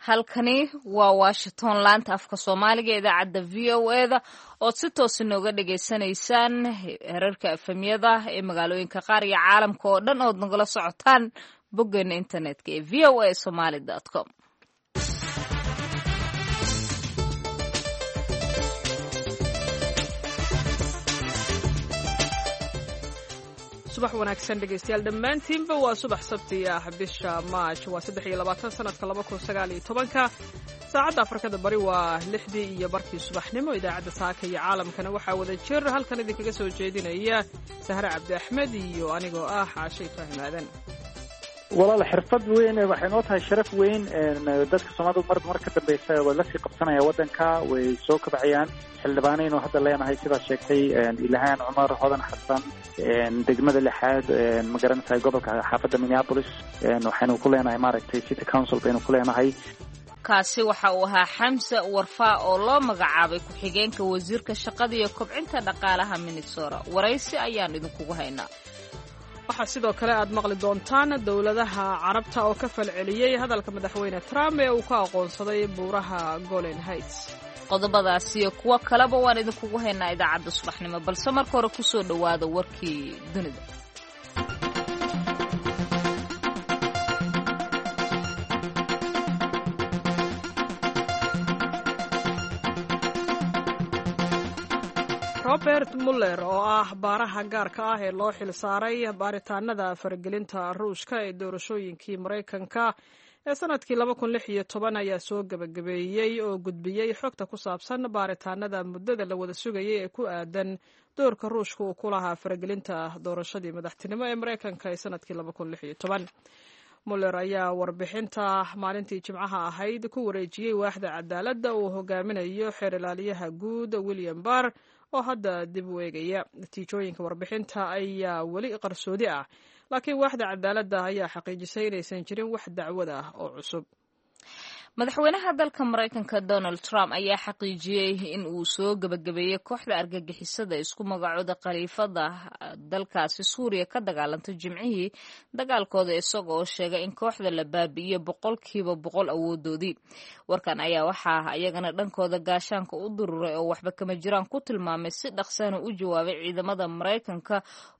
Halkani waa Washington, laanta afka Soomaaliga, idaacadda VOA-da ood si toos inooga dhagaysanaysaan herarka FM-yada ee magaalooyinka qaar iyo caalamka oo dhan ood nagala socotaan boggeena internetka ee voasomali.com. Subax wanaagsan dhegaystayaal dhammaantiinba. Waa subax Sabti ah, bisha Maaj waa 23, sanadka 2019-ka. Saacadda Afrikada Bari waa 6:30 subaxnimo. Idaacadda saaka iyo caalamkana waxaa wada jir halkan idinkaga soo jeedinaya Sahre Cabdi Axmed iyo anigoo ah Caashe Ibraahim Aadan. Walaal, xirfad weyn waxay noo tahay, sharaf weyn. Dadka Soomaalida marba mar ka dambeysa waa lasii qabsanaya waddanka, way soo kabcayaan. Xildhibaanaynu hadda leenahay, sidaad sheegtay, Ilhaan Cumar, Hodan Xasan, degmada lixaad, ma garanaysaa, gobolka xaafadda Minneapolis waxaynu ku leenahay, maaragtay, city council baynu ku leenahay. Kaasi waxa uu ahaa Xamse Warfaa oo loo magacaabay ku-xigeenka wasiirka shaqada iyo kobcinta dhaqaalaha Minnesota. Waraysi ayaan idinkugu haynaa. Waxaa sidoo kale aad maqli doontaan dowladaha Carabta oo ka falceliyey hadalka Madaxweyne Trump ee uu ka aqoonsaday buuraha Golan Heights. Qodobadaas iyo kuwo kaleba waan idinkugu haynaa idaacadda subaxnimo, balse marka hore kusoo dhowaada warkii dunida. Robert Muller oo ah baaraha gaarka ah ee loo xil saaray baaritaanada faragelinta Ruushka ee doorashooyinkii Maraykanka ee sanadkii 2016 ayaa soo gebagabeeyey oo gudbiyey xogta ku saabsan baaritaanada muddada la wada sugayay ee ku aadan doorka Ruushka uu ku lahaa faragelinta doorashadii madaxtinimo ee Maraykanka ee sanadkii 2016. Muller ayaa warbixinta maalintii Jimcaha ahayd ku wareejiyey waaxda cadaaladda uu hogaaminayo xeer ilaaliyaha guud William Barr oo hadda dib u eegaya. Natiijooyinka warbixinta ayaa weli qarsoodi ah, laakiin waaxda cadaaladda ayaa xaqiijisay inaysan jirin wax dacwad ah oo cusub. Madaxweynaha dalka Maraykanka Donald Trump ayaa xaqiijiyey in uu soo gebagabeeyey kooxda argagixisada isku magacooda khaliifada dalkaasi Suuriya ka dagaalantay Jimcihii dagaalkooda, isaga oo sheegay in kooxda la baabi'iyo 100% awoodoodii. Warkan ayaa waxaa iyagana dhankooda gaashaanka u dururay oo waxba kama jiraan ku tilmaamay, si dhaqsana u jawaabay ciidamada Maraykanka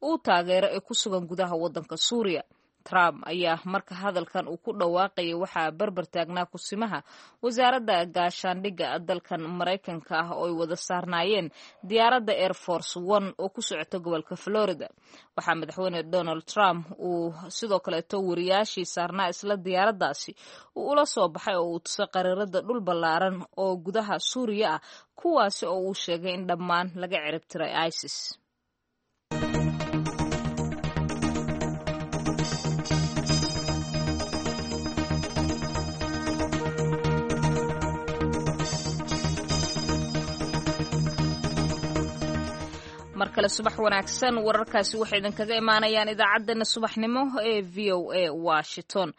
uu taageero ee ku sugan gudaha waddanka Suuriya. Trump ayaa marka hadalkan uu ku dhawaaqayay waxaa barbar taagnaa kusimaha wasaaradda gaashaandhigga dalkan Maraykanka ah oo ay wada saarnaayeen diyaaradda Air Force One oo ku socota gobolka Florida. Waxaa Madaxweyne Donald Trump uu sidoo kaleeto wariyaashii saarnaa isla diyaaraddaasi uu ula soo baxay oo uu tusay qariirada dhul ballaaran oo gudaha Suuriya ah, kuwaasi oo uu sheegay in dhammaan laga cirib tiray ISIS. Mar kale subax wanaagsan. Wararkaasi waxay idinkaga imaanayaan idaacaddeenna subaxnimo ee VOA Washington.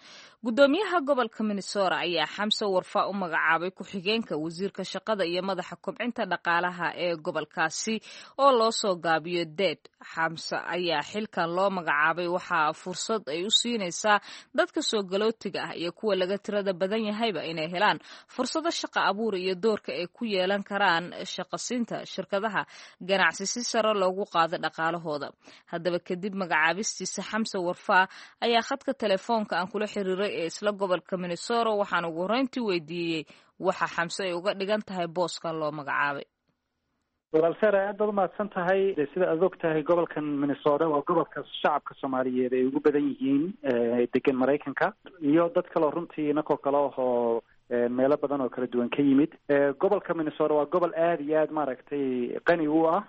Guddoomiyaha gobolka Minnesota ayaa Xamse Warfaa u magacaabay ku-xigeenka wasiirka shaqada iyo madaxa kobcinta dhaqaalaha ee gobolkaasi oo loo soo gaabiyo DED. Xamse ayaa xilkan loo magacaabay waxaa fursad ay u siinaysaa dadka soo galootiga ah iyo kuwa laga tirada badan yahayba inay helaan fursado shaqa abuur iyo doorka ay ku yeelan karaan shaqasiinta shirkadaha ganacsi si sare loogu qaado dhaqaalahooda. Haddaba, kadib magacaabistiisa, Xamse Warfaa ayaa khadka telefoonka aan kula xiriiray ee isla gobolka Minnesota, waxaan ugu horreyntii weydiiyey waxa Xamse ay uga dhigan tahay booskan loo magacaabay. Walaal Sara, aad baad umahadsan tahay. Sida aad og tahay, gobolkan Minnesota waa gobolka shacabka Soomaaliyeed ay ugu badan yihiin degan Maraykanka iyo dad kaleo runtii inakoo kale ahoo meelo badan oo kala duwan ka yimid. Gobolka Minnesota waa gobol aada iyo aad, maaragtay, qani u ah,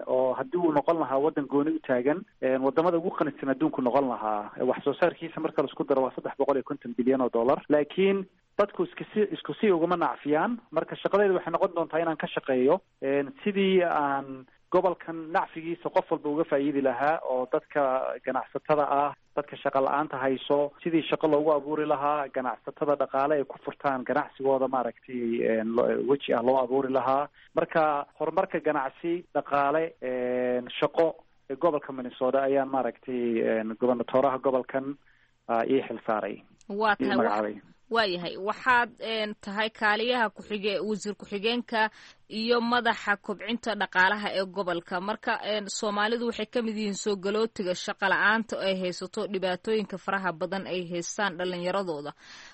oo haddii uu noqon lahaa waddan gooni u taagan, wadamada ugu qanisan adduunku noqon lahaa. Wax soo saarkiisa marka laisku daro waa 350 bilyan oo dollar, laakiin dadku iskasi isku si uguma nacfiyaan. Marka shaqadeyda waxay noqon doontaa inaan ka shaqeeyo sidii aan gobolkan nacfigiisa qof walba uga faa'iidi lahaa, oo dadka ganacsatada ah, dadka shaqa la-aanta hayso sidii shaqo loogu abuuri lahaa, ganacsatada dhaqaale ay ku furtaan ganacsigooda, maaragtay, weji ah loo abuuri lahaa. Marka horumarka ganacsi, dhaqaale, shaqo ee gobolka Minnesota ayaan, maaragtay, gobernatoraha gobolkan ii xil saaray. Waa tahay. Magacaabay. Waayahay, waxaad tahay kaaliyaha kuxige wasiir ku-xigeenka iyo madaxa kobcinta dhaqaalaha ee gobolka. Marka soomaalidu waxay ka mid yihiin soo galootiga shaqa la-aanta ay haysato, dhibaatooyinka faraha badan ay haystaan dhalinyaradooda.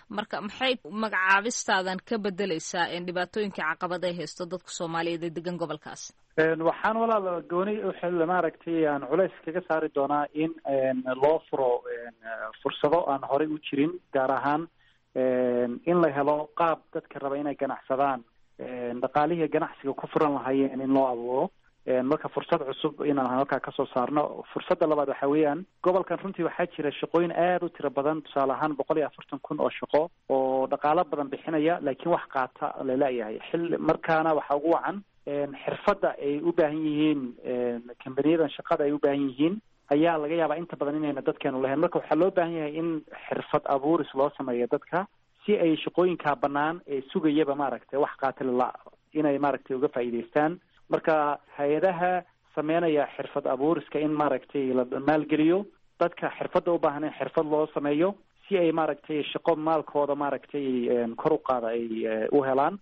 Marka maxay magacaabistaadan ka bedeleysaa dhibaatooyinka caqabad ay haysto dadka soomaaliyeed ee degan gobolkaas? Waxaan walaal gooni maaragtay aan culays kaga saari doonaa in loo furo fursado aan horey u jirin, gaar ahaan in la helo qaab dadka raba inay ganacsadaan dhaqaalihii ganacsiga ku furan lahaayeen in loo abuuro. Marka fursad cusub inaan halkaa kasoo saarno. Fursadda labaad waxa weeyaan, gobolkan runtii waxaa jira shaqooyin aada u tiro badan, tusaale ahaan 140,000 oo shaqo oo dhaqaalo badan bixinaya, laakiin wax qaata laleeyahay xil. Markaana waxaa ugu wacan xirfadda ay u baahan yihiin kambaniyadan shaqada ay u baahan yihiin ayaa laga yaabaa inta badan inayna dadkeenu lahayn. Marka waxaa loo baahan yahay in xirfad abuuris loo sameeyo dadka si ay shaqooyinkaa bannaan ee sugayaba maaragtay wax qaatilala inay maaragtay uga faa'iidaystaan. Marka hay-adaha sameynaya xirfad abuuriska in maaragtay la maalgeliyo, dadka xirfadda u baahan in xirfad loo sameeyo si ay maaragtay shaqo maalkooda maaragtay kor u qaada ay u helaan,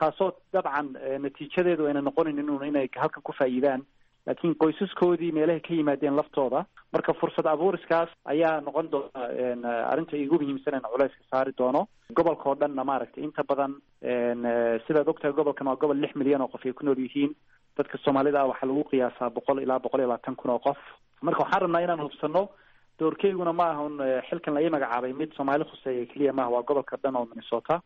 taasoo dabcan natiijadeedu ayna noqonayn inay halkan ku faa'iidaan, laakiin qoysaskoodii meelahay ka yimaadeen laftooda. Marka fursad abuuriskaas ayaa noqon doona arrinta igu muhiimsan aan culayska saari doono gobolka oo dhanna. Maaragtay inta badan, sidaad ogtahay, gobolkan waa gobol 6 milyan oo qof ay ku nool yihiin. Dadka soomaalida ah waxaa lagu qiyaasaa 100 ilaa 120 kun oo qof. Marka waxaan rabnaa inaan hubsano, doorkeyguna ma aha un xilkan la ii magacaabay mid soomaali khuseeya keliya maaha, waa gobolka dhan oo Minnesota,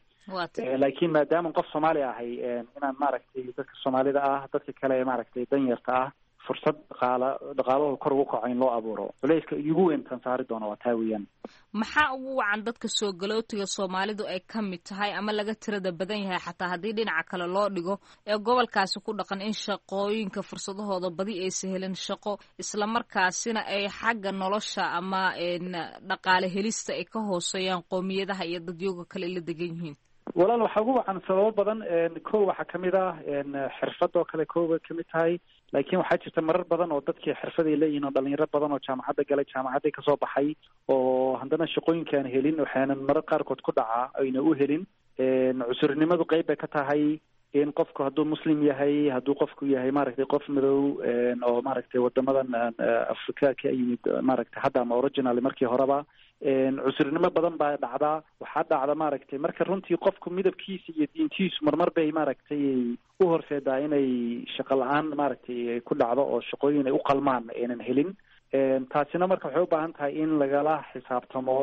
laakiin maadaama qof soomaali ahay inaan maaragtay dadka soomaalida ah, dadka kale maaragtay danyarta ah, fursad dhaqaala dhaqaalahooda kor ugu kaco in loo abuuro. Culayska igu weyn tan saari doono waa taa weeyaan. Maxaa ugu wacan dadka soo galootiga soomaalidu ay ka mid tahay ama laga tirada badan yahay, xataa haddii dhinaca kale loo dhigo, ee gobolkaasi ku dhaqan in shaqooyinka fursadahooda badi aysa helin shaqo, islamarkaasina ay xagga nolosha ama dhaqaale helista ay ka hooseeyaan qoomiyadaha iyo dadyooga kale la degan yihiin? Walaal, waxaa ugu wacan sababo badan. Ko waxaa kamid ah xirfad oo kale, ko bay kamid tahay, laakiin waxaa jirta marar badan oo dadkii xirfad ay leeyihin oo dhalinyaro badan oo jaamacadda galay, jaamacadday kasoo baxay, oo haddana shaqooyinkaan helin. Waxaana marar qaarkood ku dhacaa ayna u helin cusurnimadu qeyb bay ka tahay, in qofku hadduu muslim yahay, hadduu qofku yahay maaragtay qof madow oo maaragtay wadamadan Afrika ka yimid maaragtay hadda ama original markii horeba, cusurnimo badan baa dhacdaa. Waxaa dhacda maaragtay marka runtii qofku midabkiisa iyo diintiisu marmar bay maaragtay u horseedaa inay shaqo la-aan maaragtay ku dhacdo oo shaqooyin ay u qalmaan aynan helin. Taasina marka waxay u baahan tahay in lagala xisaabtamo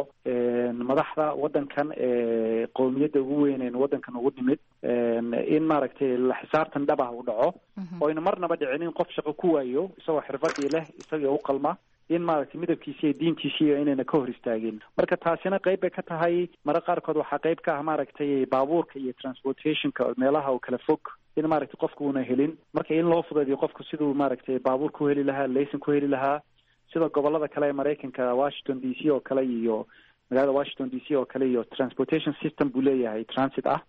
madaxda waddankan ee qowmiyadda ugu weyn waddankan ugu nimid, in maaragtay la xisaabtan dhab ah u dhaco oo ayna marnaba dhicin in qof shaqo ku waayo isagoo xirfadii leh, isagoo u qalma, in maaragtay midabkiisi iyo diintiisi iyo inayna ka hor istaagin. Marka taasina qeyb bay ka tahay. Marar qaarkood waxaa qeyb ka ah maaragtay baabuurka iyo transportationka meelaha oo kala fog in maaragtay qofku una helin. Marka in loo fudeediyo qofku siduu maaragtay baabuur ku heli lahaa, layson ku heli lahaa, sida gobolada kale ee Maraykanka, Washington DC oo kale iyo magaalada Washington DC oo kale iyo transportation system buu leeyahay transit ah.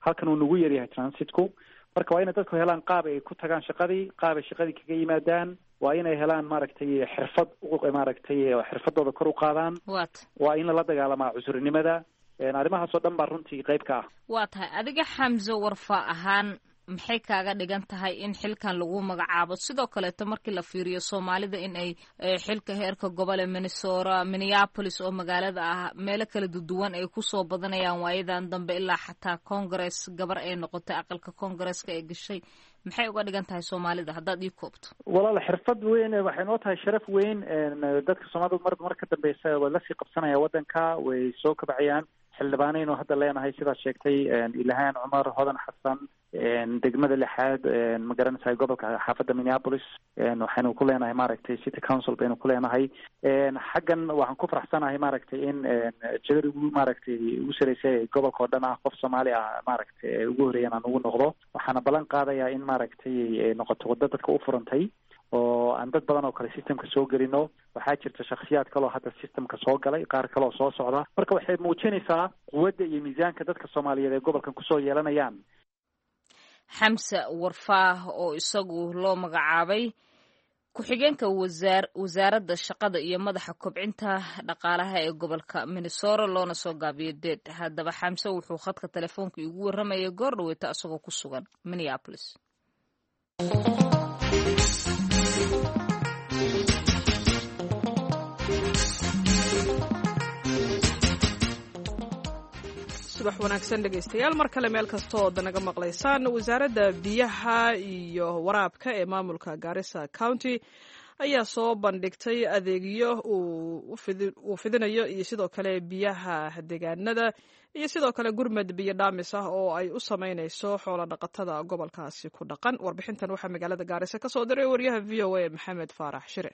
Halkan uu nagu yaryahay transitku. Marka waa inay dadku helaan qaab ay ku tagaan shaqadii, qaab ay shaqadii kaga yimaadaan. Waa inay helaan maaragtay xirfad, maaragtay xirfadooda kor u qaadaan. Waa in lala dagaalamaa cusurnimada. Arrimahaas oo dhan baa runtii qayb ka ah. Waa tahay. Adiga Xamse Warfa ahaan, maxay kaaga dhigan tahay in xilkan lagu magacaabo? Sidoo kaleeto markii la fiiriyo soomaalida in ay xilka heerka gobol ee Minnesota, Minneapolis oo magaalada ah, meelo kala duduwan ay kusoo badanayaan waayadan dambe, ilaa xataa congress gabar ay noqotay, aqalka congresska ay gashay, maxay uga dhigan tahay soomaalida haddaad ii koobto? Walaal, xirfad weyn waxay noo tahay, sharaf weyn. Dadka soomaalida mar mar ka dambeysa waa lasii qabsanaya waddanka, way soo kabacayaan. Xildhibaanaynu hadda leenahay, sidaad sheegtay, Ilhaan Cumar, Hodan Xasan, degmada lixaad, ma garanaysaa, gobolka xaafadda Minneapolis waxaynu ku leenahay maaragtay city council baynu ku leenahay. Xaggan waxaan ku faraxsanahay maaragtay in jadar ugu maaragtay ugu sareysay gobolka oo dhan ah qof soomaali ah maaragtay ugu horreeyan aan ugu noqdo. Waxaana ballan qaadayaa in maaragtay noqoto waddo dadka u furantay oo aan dad badan oo kale systemka soo gelino. Waxaa jirta shaksiyaad kaloo hadda systemka soo galay, qaar kaleoo soo socda. Marka waxay muujinaysaa quwadda iyo miisaanka dadka soomaaliyeed ee gobolkan kusoo yeelanayaan. Xamse Warfaah oo isagu loo magacaabay ku-xigeenka wasaaradda shaqada iyo madaxa kobcinta dhaqaalaha ee gobolka Minnesota, loona soo gaabiyo DEED. Haddaba Xamse wuxuu khadka telefoonka iigu warramayay goor dhaweyta asagoo ku sugan Minneapolis. Subax wanaagsan dhegaystayaal, mar kale meel kasta oo naga maqlaysaan. Wasaaradda biyaha iyo waraabka ee maamulka Garissa County ayaa soo bandhigtay adeegyo uu fidinayo iyo sidoo kale biyaha deegaanada iyo sidoo kale gurmad biyo dhaamis ah oo ay u sameyneyso xoola dhaqatada gobolkaasi ku dhaqan. Warbixintan waxaa magaalada Gaarisa kasoo diray wariyaha VOA Maxamed Faarax Shire.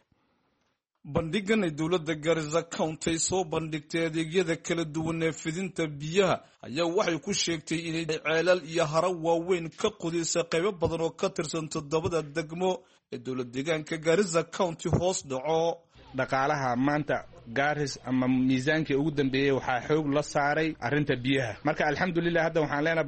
Bandhigan ay dowladda Garissa County soo bandhigtay adeegyada kala duwan ee fidinta biyaha ayaa waxay ku sheegtay inay ceelal iyo haro waaweyn ka qodisay qaybo badan oo ka tirsan toddobada degmo ee dowlad deegaanka Garissa County hoos dhaco. Dhaqaalaha maanta Garis ama miisaankii ugu dambeeyey waxaa xoog la saaray arrinta biyaha. Marka alxamdulilah, hadda waxaan leenahay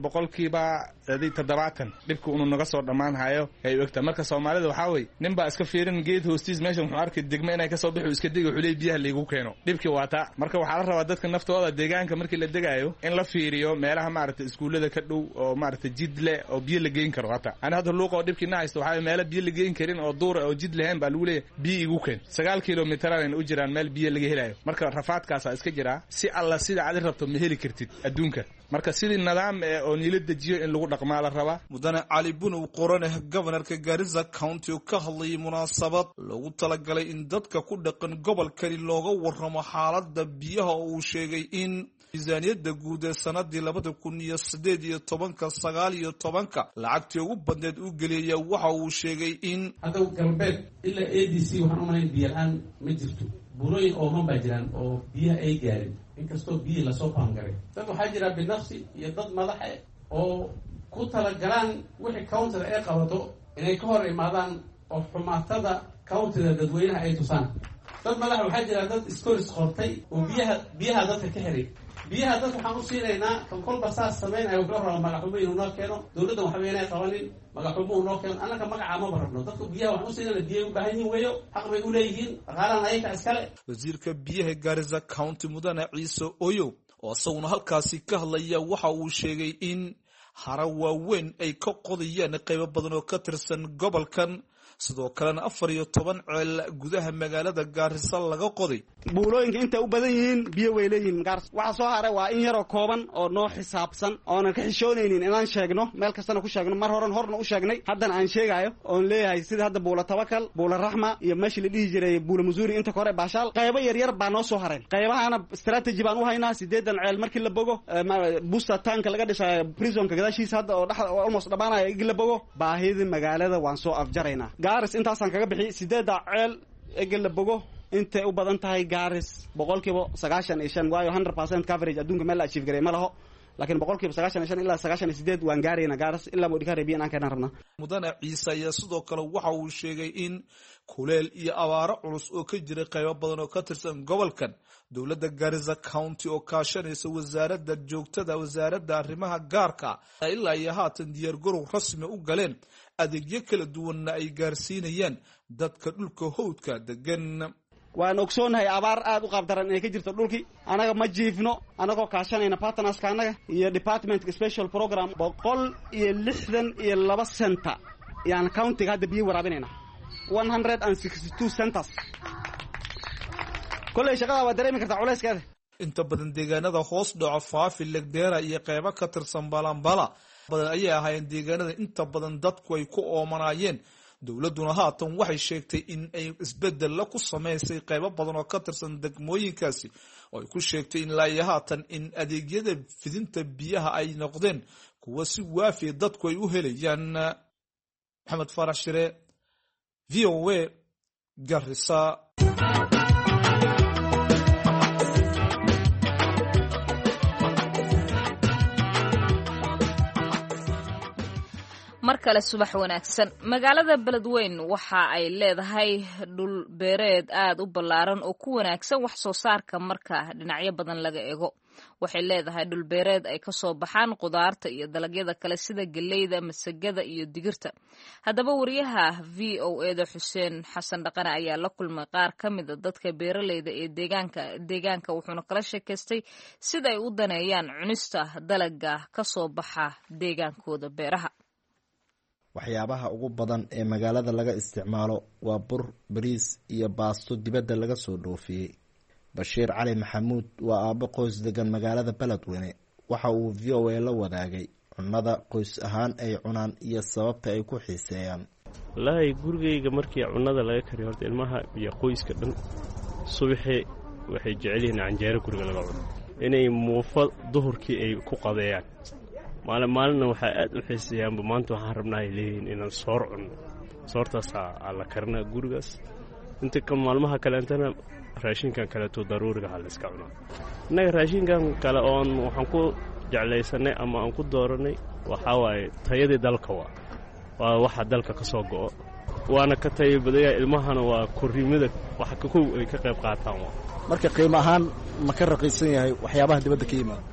70% dhibka inuu naga soo dhammaan hayo ay ogta. Marka Soomaalida waxaa weye, nin baa iska fiirin geed hoostiis meeshan, wuxuu arkay degmo inay kasoo bixi, iska degi, wuxuu leey biyaha laygu keeno. Dhibkii waa taa. Marka waxaa la rabaa dadka naftooda deegaanka markii la degaayo in la fiiriyo meelaha maaragtay iskuullada ka dhow oo maaragtay jid leh oo biyo la geyn karo. Hata ani hadda luuqa oo dhibkii na haysto waxaa meelo biyo la geyn karin oo duura oo jid lahayn baa lagu leeyahay biyo igu keen. 9 kilomitaraan u jiraan meel biyo laga helayo. Marka rafaadkaasaa iska jiraa. Si alla sida adi rabto ma heli kartid adduunka. Marka sidii nidaam eh oo niila dejiyo in lagu dhaqmaa la rabaa. Mudane Cali Bunow Qoraneh, gobanarka Garissa County, oo ka hadlayay munaasabad loogu talagalay in dadka ku dhaqan gobolkani looga warramo xaaladda biyaha, oo uu sheegay in miisaaniyadda guud ee sanadii 2018-ka 19-ka lacagtii ugu badneed u geliyaya, waxa uu sheegay in Hadda galbeed ilaa ADC waxaan umalayn biyo la-aan ma jirto. Buurooyin ooman baa jiraan oo biyaha ay gaarin, inkastoo biyihii lasoo paangaray. Dad waxaa jira binafsi iyo dad madaxe oo ku talagalaan wixii countyda ay qabato inay ka hor imaadaan oo xumaatada countyda dadweynaha ay tusaan. Dad madaxa waxaa jira, dad iskoris qortay oo biyaha dadka ka xiray. Biyaha dadka waxaan u siinaynaa kan kolba saas samaynayo, wuxuu rabaa magaxumo inuu noo keeno. Dowladdan waxba inay qabanin, magaxumo uu noo keeno. Annaka magacaa maba rabno. Dadku biyaha waxaan u siinayna, biyay u baahan yihin weeyo, xaq bay u leeyihiin, dhaqaalahan ayaga iskale. Wasiirka biyaha Garissa County, mudane Ciise Oyow, oo isaguna halkaasi ka hadlaya, waxa uu sheegay in hara waaweyn ay ka qodayaan qaybo badan oo ka tirsan gobolkan, sidoo kalena 14 ceel gudaha magaalada Gaarisa laga qoday. Buulooyinka intay u badan yihiin biyo way leeyihiin Gaarisa. Waxa soo haray waa in yaroo kooban oo noo xisaabsan oonan ka xishoonaynin inaan sheegno, meel kastana ku sheegno. Mar horan horna u sheegnay, haddana aan sheegaayo oon leeyahay, sida hadda Buula Tabakal, Buula Raxma iyo meeshii la dhihi jiray Buula Musuuri, inta kore Baashaal, qaybo yaryar baa noo soo hareen. Qaybahana strategy baan u haynaa. 8 ceel markii la bogo, busta tanka laga dhisayo prisonka gadaashiisa hadda oo dhex almost dhammaanaya, igi la bogo, baahidii magaalada waan soo afjaraynaa. Gaaris intaasaan kaga bixi. 8-da ceel egi la bogo, intay u badan tahay Gaaris 95%, waayo 100% coverage adduunka meel la achieve garay ma laho, laakiin 95% ilaa 98 waan gaarayna. Gaaris ilaa Modikare biyo inaan keenaan rabnaa. Mudane Ciise ayaa sidoo kale waxa uu sheegay in kuleel iyo abaaro culus oo ka jiray qaybo badan oo ka tirsan gobolkan, dowladda Garissa County oo kaashanaysa wasaaradda joogtada, wasaaradda arrimaha gaarka, ilaa iyo haatan diyaargarow rasmi u galeen, adeegyo kala duwanna ay gaarsiinayaan dadka dhulka howdka degan. Waan ogsoonahay abaar aad u qaabdaran inay ka jirto dhulkii. Anaga ma jiifno, anagoo kaashanayna partnerska annaga iyo departmentka special program, 162 center yaan countyga hadda biyo waraabinayna, 162 centers. Kolley shaqada waa dareemi kartaa culayskeeda. Inta badan deegaanada hoos dhaco Faafi, Legdeera iyo qeybo ka tirsan Balambala badan ayay ahaayeen deegaanada inta badan dadku ay ku oomanaayeen. Dowladduna haatan waxay sheegtay in ay isbedella ku samaysay qeybo badan oo ka tirsan degmooyinkaasi, oo ay ku sheegtay in ilaa iyo haatan in adeegyada fidinta biyaha ay noqdeen kuwa si waafiya dadku ay u helayaan. Maxamed Faarax Shire, VOA, Garissa. Markan. Mar kale subax wanaagsan. Magaalada Beledweyn waxa ay leedahay dhul beereed aad u ballaaran oo ku wanaagsan wax soo saarka marka dhinacyo badan laga eego. Waxay leedahay dhul beereed ay kasoo baxaan qudaarta iyo dalagyada kale sida geleyda, masagada iyo digirta. Haddaba, wariyaha VOA-da Xuseen Xasan Dhaqane ayaa la kulmay qaar ka mida dadka beeraleyda ee deegaanka, wuxuuna kala sheekaystay sida ay u daneeyaan cunista dalaga kasoo baxa deegaankooda beeraha. Waxyaabaha ugu badan ee magaalada laga isticmaalo waa bur, bariis iyo baasto dibadda laga soo dhoofiyey. Bashiir Cali Maxamuud waa aabbo qoys degan magaalada Beledweyne. Waxa uu VOA la wadaagay cunnada qoys ahaan ay cunaan iyo sababta ay ku xiiseeyaan. Wallaahi, gurigayga markii cunnada laga kariyo, horta ilmaha iyo qoyska dhan subaxii waxay jecel yihiin canjeero guriga laga cuno, inay muufo duhurkii ay ku qadeeyaan. Maalin maalinna waxaa aad u xiiseeyaanba, maanta waxaan rabnaa, ay leeyihiin, inaan soor cunno. Soortaasaa la karinaa gurigaas. Inta ka maalmaha kaleentana raashinkan kaleeto daruuriga ha la iska cunaa. Innaga raashinkan kale oon waxaan ku jeclaysanay ama aan ku dooranay waxaa waaye tayadii dalka, waa waxa dalka ka soo go'o, waana ka tayo badaya. Ilmahana waa korriimada waxa kow ay ka qayb qaataan waa. Marka qiimo ahaan ma ka raqiisan yahay waxyaabaha dibadda ka yimaada?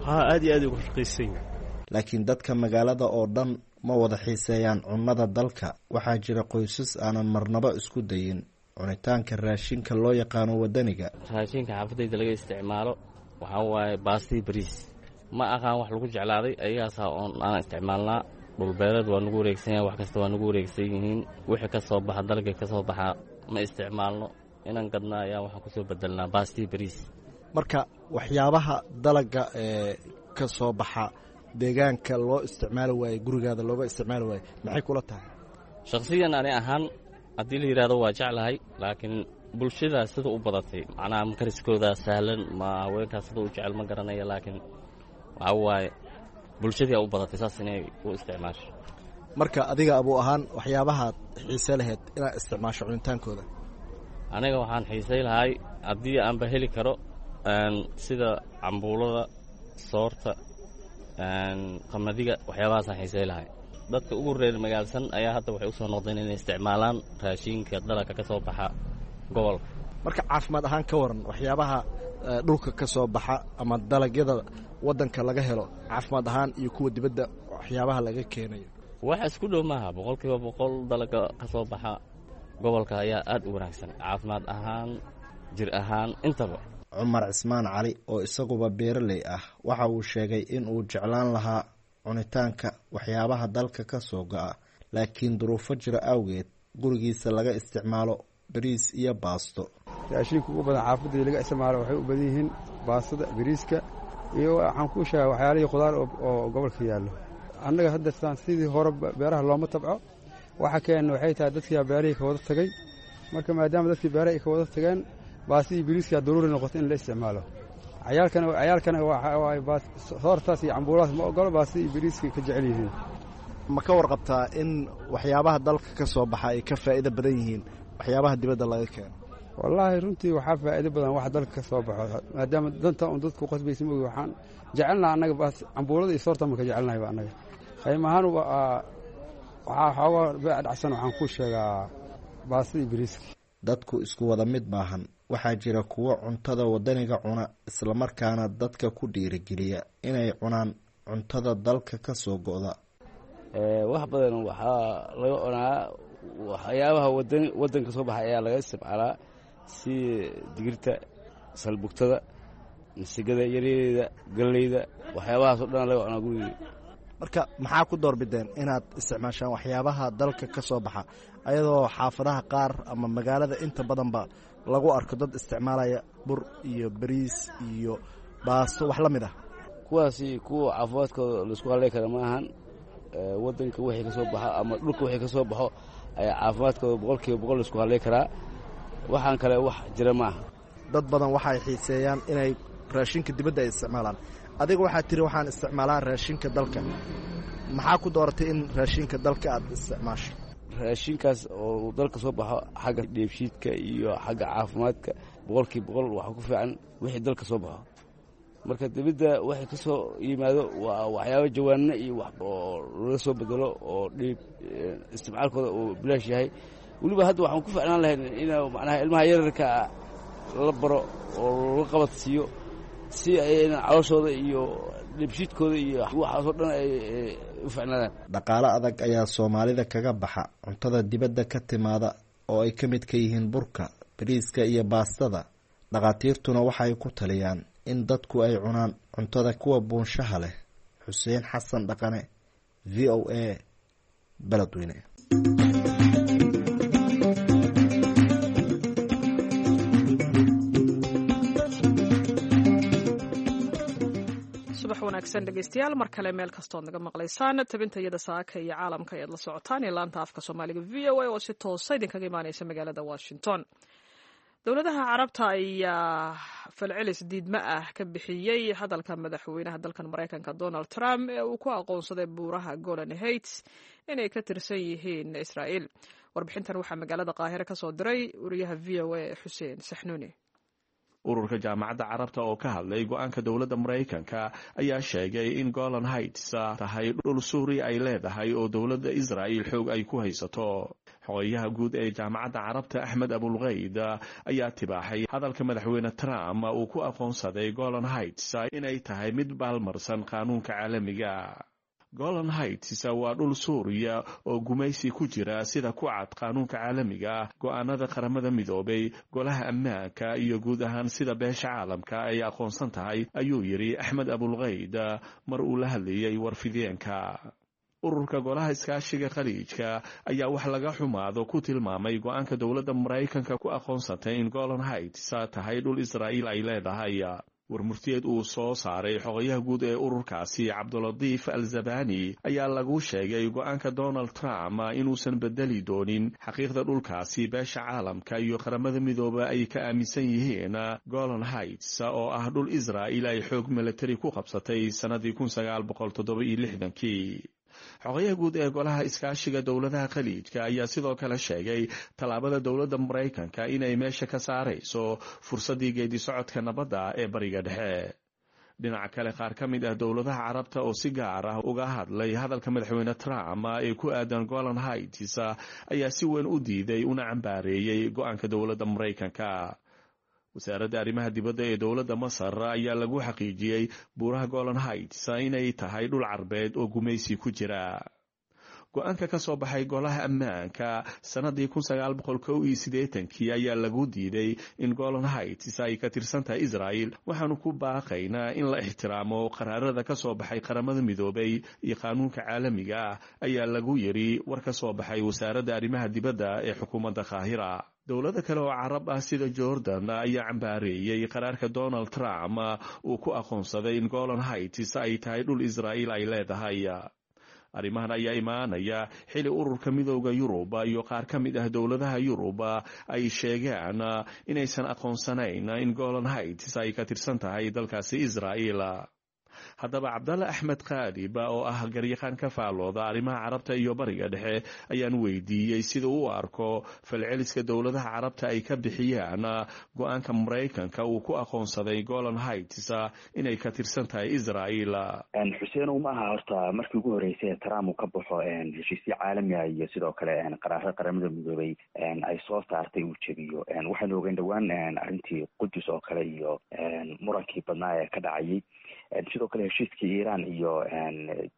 Haa, aad iyo aad uga raqiisan yahay. Laakiin dadka magaalada oo dhan ma wada xiiseeyaan cunnada dalka. Waxaa jira qoysas aanan marnaba isku dayin cunitaanka raashinka loo yaqaano waddaniga. Raashinka xaafadayda laga isticmaalo waxaa waaye baastii, bariis. Ma aqaan wax lagu jeclaaday, ayagaasaa oon aan isticmaalnaa. Dhulbeereed waa nagu wareegsan yahay, wax kasta waa nagu wareegsan yihiin. Wixii ka soo baxa dalga ka soo baxa ma isticmaalno, inaan gadnaa ayaa waxaan kusoo bedelnaa baastii, bariis. Marka waxyaabaha dalaga ee ka soo baxa deegaanka loo isticmaali waaye, gurigaada looga isticmaali waaye, maxay kula tahay? Shakhsiyan ani ahaan haddii la yidhahdo, waa jeclahay, laakiin bulshadaa sida u badatay, macnaha makariskoodaa sahlan, ma haweenkaas sida u jecel ma garanaya, laakiin waxaa waaye bulshadii u badatay saas inay u isticmaasho. Marka adiga abuu ahaan, waxyaabahaad xiise lahayd inaad isticmaasho cunitaankooda? Aniga waxaan xiisay lahay haddii aanba heli karo sida cambuulada, soorta, qamadiga, waxyaabahaasaan xiisay lahay. Dadka ugu reer magaalsan ayaa hadda waxay usoo noqdeen inay isticmaalaan raashinka dalagka ka soo baxa gobolka. Marka caafimaad ahaan ka waran, waxyaabaha dhulka ka soo baxa ama dalagyada waddanka laga helo caafimaad ahaan iyo kuwa dibadda waxyaabaha laga keenayo? Wax isku dhow maaha. 100% dalaga ka soo baxa gobolka ayaa aad u wanaagsan caafimaad ahaan, jir ahaan intaba. Cumar Cismaan Cali oo isaguba beeraley ah waxa uu sheegay in uu jeclaan lahaa cunitaanka waxyaabaha dalka ka soo go'a, laakiin duruufo jira awgeed gurigiisa laga isticmaalo bariis iyo baasto. Raashinka ugu badan xaafadii laga isticmaalo waxay u badan yihiin baastada, bariiska iyo waxaan kuu sheega waxyaalihii khudaar oo gobolka yaallo. Annaga hadda sidii hore beeraha looma tabco. Waxa keena waxay tahay dadkiiaa beerihii ka wada tagay. Marka maadaama dadkii beeraha ay ka wada tageen, baastadii bariiskaa daruuri noqotay in la isticmaalo. Cayaalkana soortaas iyo cambuuladaas ma ogolo, baastadii bariiska ka jecel yihiin. Ma ka warqabtaa in waxyaabaha dalka ka soo baxa ay ka faa'iido badan yihiin waxyaabaha dibadda laga keeno? Wallaahi, runtii waxaa faa'iido badan wax dalka ka soo baxo, maadaama danta un dadku qasbaysa mogi. Waxaan jecelnaha annaga baas cambuulada iyo soorta ma ka jecelnahayba annaga. Qiimo ahaan waxaa xoogaa beec dhacsan, waxaan ku sheegaa baastadii bariiska. Dadku isku wada mid maahan. Waxaa jira kuwo cuntada waddaniga cuna, islamarkaana dadka ku dhiirigeliya inay cunaan cuntada dalka ka soo go'da. Wax badan waxaa laga cunaa waxyaabaha waddanka soo baxa ayaa laga isticmaalaa, si digirta, salbugtada, masigada yaryareyda, galleyda, waxyaabahaas o dhan laga cunaa gurigii. Marka maxaa ku doorbideen inaad isticmaashaan waxyaabaha dalka ka soo baxa, ayadoo xaafadaha qaar ama magaalada inta badanba lagu arko dad isticmaalaya bur iyo bariis iyo baasto wax la mid ah? Kuwaasi kuwa caafimaadkooda laisku haley kara ma ahan. Waddanka wixii ka soo baxo ama dhulka wixii ka soo baxo ayaa caafimaadkooda 100% laisku haley karaa. Waxaan kale wax jira ma aha. Dad badan waxay xiiseeyaan inay raashinka dibadda ay isticmaalaan. Adiga waxaad tiri waxaan isticmaalaa raashinka dalka. Maxaa ku dooratay in raashinka dalka aad isticmaasho? Raashinkaas oo dalka soo baxo xagga dheebshiidka iyo xagga caafimaadka 100% waxaa ku fiican wixii dalka soo baxo. Marka dibadda waxay ka soo yimaado waa waxyaaba jawaanno iyo wax oo lala soo bedelo oo dhiib isticmaalkooda uu bilaash yahay. Weliba hadda waxaan ku ficnaan lahayn in macnaha ilmaha yararka la baro oo la qabad siiyo si ayna calooshooda iyo dhibshiidkooda iyo waxaasoo dhan ay u ficnaadaan. Dhaqaale adag ayaa Soomaalida kaga baxa cuntada dibadda ka timaada oo ay ka mid ka yihiin burka, bariiska iyo baastada. Dhakhaatiirtuna waxay ku taliyaan in dadku ay cunaan cuntada kuwa buunshaha leh. Xuseen Xasan Dhaqane, VOA, Beledweyne. Subax wanaagsan dhegeystayaal, mar kale meel kastood naga maqlaysaan. Tabinta iyada saaka iyo caalamka ayaad la socotaan ee laanta afka Soomaaliga VOA oo si toosa idinkaga imaaneysa magaalada Washington. Dowladaha Carabta ayaa falcelis diidmo ah ka bixiyey hadalka madaxweynaha dalkan Maraykanka Donald Trump ee uu ku aqoonsaday buuraha Golan Heights inay ka tirsan yihiin Israa'iil. Warbixintan waxaa magaalada Qaahire ka soo diray wariyaha VOA Xuseen Saxnuuni. Ururka Jaamacadda Carabta oo ka hadlay go-aanka dowladda Maraykanka ayaa sheegay in Golan Heights tahay dhul Suuriya ay leedahay oo dowladda Israa'il xoog ay ku haysato. Xogayaha guud ee Jaamacadda Carabta, Axmed Abulkayd, ayaa tibaaxay hadalka madaxweyne Trump uu ku aqoonsaday Golan Heights inay tahay mid baalmarsan qaanuunka caalamiga. Golan Heights waa dhul Suuriya oo gumaysi ku jira, sida ku cad qaanuunka caalamiga, go-aanada Qaramada Midoobay, Golaha Ammaanka iyo guud ahaan sida beesha caalamka ay aqoonsan tahay, ayuu yidhi Axmed Abulkayd mar uu la hadlayay warfideenka. Ururka Golaha Iskaashiga Khaliijka ayaa wax laga xumaado ku tilmaamay go-aanka dowladda Maraykanka ku aqoonsatay in Golan Heights tahay dhul Israa'iil ay leedahay. Warmurtiyeed uu soo saaray xogayaha guud ee ururkaasi, Cabdulatiif Al Zabani, ayaa lagu sheegay go-aanka Donald Trump inuusan bedeli doonin xaqiiqda dhulkaasi beesha caalamka iyo Qaramada Midooba ay ka aaminsan yihiin Golan Heights oo ah dhul Israa'il ay xoog milatari ku qabsatay sannadii 1967-kii. Xogayaha guud ee Golaha Iskaashiga Dowladaha Khaliijka ayaa sidoo kale sheegay tallaabada dowladda Maraykanka inay meesha ka saarayso fursaddii geedi socodka nabadda ee Bariga Dhexe. Dhinaca kale, qaar ka mid ah dowladaha Carabta oo si gaar ah uga hadlay hadalka madaxweyne Trump ee ku aadan Golan Heights ayaa si weyn u diiday una cambaareeyey go-aanka dowladda Maraykanka. Wasaaradda arrimaha dibadda ee dowladda Masar ayaa lagu xaqiijiyey buuraha Golan Heights inay tahay dhul Carbeed oo gumaysi ku jira. Go-aanka ka soo baxay Golaha Ammaanka sannadii 1981-kii ayaa lagu diiday in Golan Heights ay ka tirsan tahay Israa'il. Waxaanu ku baaqaynaa in la ixtiraamo qaraarada ka soo baxay Qaramada Midoobay iyo qaanuunka caalamiga ah, ayaa lagu yiri war ka soo baxay wasaaradda arrimaha dibadda ee xukuumadda Qaahira. Dowlado kale oo Carab ah sida Jordan ayaa cambaareeyey qaraarka Donald Trump uu ku aqoonsaday in Golan Heights ay tahay dhul Israa'iil ay leedahay. Arrimahan ayaa imaanaya xili Ururka Midooda Yurub iyo qaar ka mid ah dowladaha Yurub ay sheegaan inaysan aqoonsanayn in Golan Heights ay ka tirsan tahay dalkaasi Israa'iil. Haddaba, Cabdalle Axmed Khaalib oo ah garyaqaan ka faalooda arrimaha Carabta iyo Bariga Dhexe ayaan weydiiyey sida uu arko falceliska dowladaha Carabta ay ka bixiyaan go-aanka Maraykanka uu ku aqoonsaday Golan Heights inay ka tirsan tahay Israa'iil. Xuseenow, ma aha horta markii ugu horreysay Trump uu ka baxo heshiisyo caalami ah iyo sidoo kale qaraarada Qaramada Midoobay ay soo saartay uu jebiyo. Waxaynu ogeyn dhowaan arrintii Qudus oo kale iyo murankii badnaa ee ka dhacayay. Sidoo kale heshiiskii Iran iyo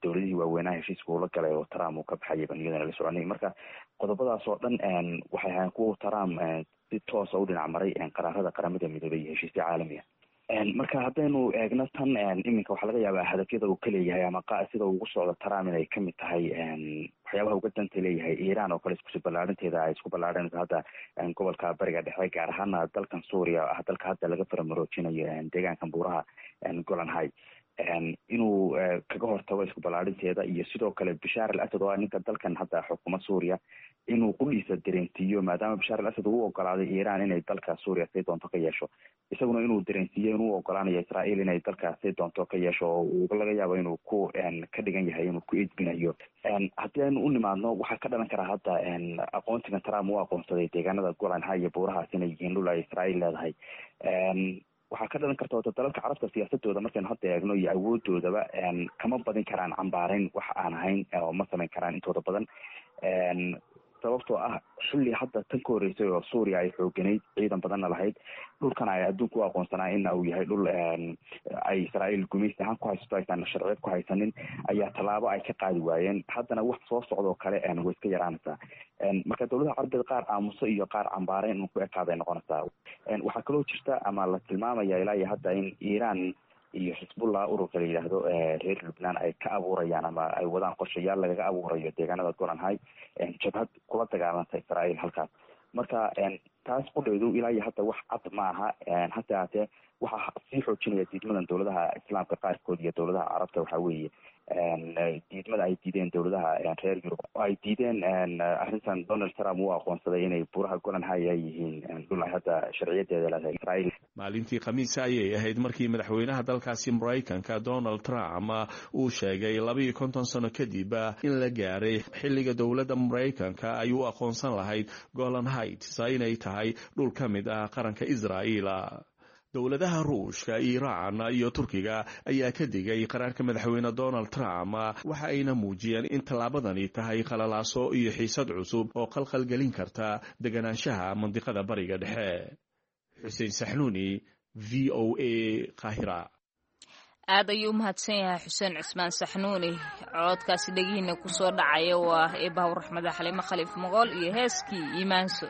dowladihii waaweynaha heshiiska uula galay oo Trump uu ka baxayay baan iyadana la soconay. Marka qodobadaas oo dhan waxay ahayn kuwa Trump si toosa u dhinac maray qaraarada Qaramada Midoobay iyo heshiisyo caalami ah. Marka haddaynu eegno tan iminka, waxaa laga yaabaa hadafyada uu ka leeyahay ama sida ugu socdo Trump inay kamid tahay waxyaabaha uga danta leeyahay Iran oo kale, iskusi ballaarinteeda ay isku ballaarinayso hadda gobolka Bariga Dhexe, gaar ahaana dalkan Suuriya ah, dalka hadda laga faramaroojinayo deegaankan buuraha Golan Heights, inuu kaga hortago isku ballaarinteeda, iyo sidoo kale Bashaar al Asad oo ah ninka dalkan hadda xukuma Suuriya inuu qudhiisa dareensiiyo, maadaama Bashaar al Asad uu ogolaaday Iran inay dalka Suuriya say doonto ka yeesho, isaguna inuu dareensiiyo inuu ogolaanayo Israa'iil inay dalka say doonto ka yeesho, oo uu laga yaabo inuu ku ka dhigan yahay inuu ku edbinayo. Haddii aynu u nimaadno, waxaa ka dhalan karaa hadda aqoonsigan Trump uu aqoonsaday deegaanada Golan Heights iyo buurahaas inay yihiin dhul ay Israa'iil leedahay. Waxaa ka dhalan karta wata dalalka carabta siyaasadooda markaynu hadda eegno iyo awoodoodaba kama badin karaan cambaareyn wax aan ahayn oo ma samayn karaan intooda badan, sababtoo ah xilli hadda tan ka horreysay oo Suuriya ay xooganayd, ciidan badanna lahayd, dhulkana ay adduunka u aqoonsanaa in uu yahay dhul ay Israa'iil gumaysi ahaan ku haysato, aysan sharciyad ku haysanin, ayaa tallaabo ay ka qaadi waayeen. Haddana wax soo socdoo kale way iska yaraanaysaa. Marka dowladaha carabeed qaar aamuso iyo qaar cambaareyn un ku ekaaday noqonaysaa. Waxaa kaloo jirta ama la tilmaamaya ilaa iyo hadda in Iiraan iyo Xisbullah, ururka la yidhaahdo reer Lubnaan, ay ka abuurayaan ama ay wadaan qorshayaal lagaga abuurayo deegaanada Golan High jabhad kula dagaalanta Israa'iil halkaas. Marka taas qudheedu ilaa iyo hadda wax cad ma aha. Hase haatee waxaa sii xoojinaya diidmadan dowladaha islaamka qaarkood iyo dowladaha carabta waxaa weeye diidmada ay diideen dowladaha reer Yurub oo ay diideen arrintan Donald Trump uu aqoonsaday inay buuraha Golan High ay yihiin dhul ay hadda sharciyadeeda leedahay Israa'iil. Maalintii Khamiisa ayay ahayd markii madaxweynaha dalkaasi Maraykanka Donald Trump uu sheegay 52 sano kadib in la gaaray xilliga dowladda Maraykanka ay u aqoonsan lahayd Golan Heights inay tahay dhul ka mid ah qaranka Israa'iil. Dowladaha Ruushka, Iiraan iyo Turkiga ayaa ka digay qaraarka madaxweyne Donald Trump, waxa ayna muujiyeen in tallaabadani tahay qalalaaso iyo xiisad cusub oo qalqalgelin karta deganaanshaha mandiqada Bariga Dhexe. Xuseen Saxnuuni, VOA, Qaahira. Aad ayuu u mahadsan yahay Xuseen Cusmaan Saxnuuni. Codkaasi dhegihiina kusoo dhacaya waa eebahaw raxmada Xaliimo Khaliif Mogool iyo heeskii Iimaanso.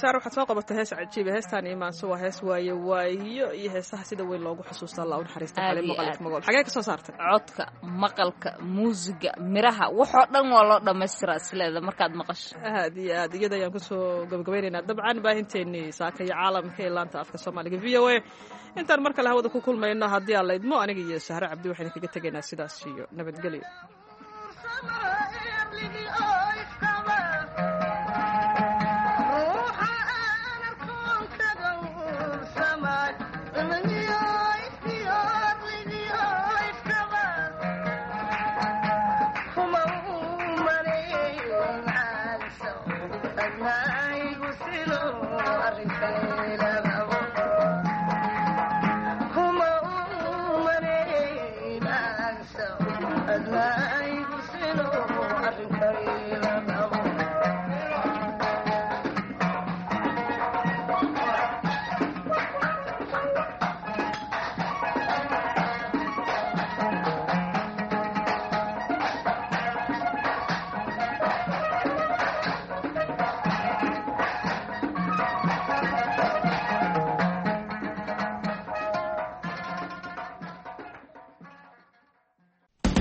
Saar, waxaad soo qabatay hees cajiiba. Heestaan Iimaanso waa hees waaye waayo iyo heesaha sida weyn loogu xusuusta. Allah u naxariista Xaliimo Khaliif Magool. Xagee ka soo saartay? Codka, maqalka, muusiga, miraha, waxoo dhan waa loo dhammaystiraa isleeda markaad maqasho. Aad iyo aad. Iyada ayaan kusoo gabagabaynaynaa dabcan baahinteennii saaka iyo caalamka ee laanta afka Soomaaliga VOA. Intaan mar kale hawada ku kulmayno, haddii aan la idmo, aniga iyo Sahre Cabdi waxaynu kaga tegaynaa sidaas iyo nabadgelyo. Kuma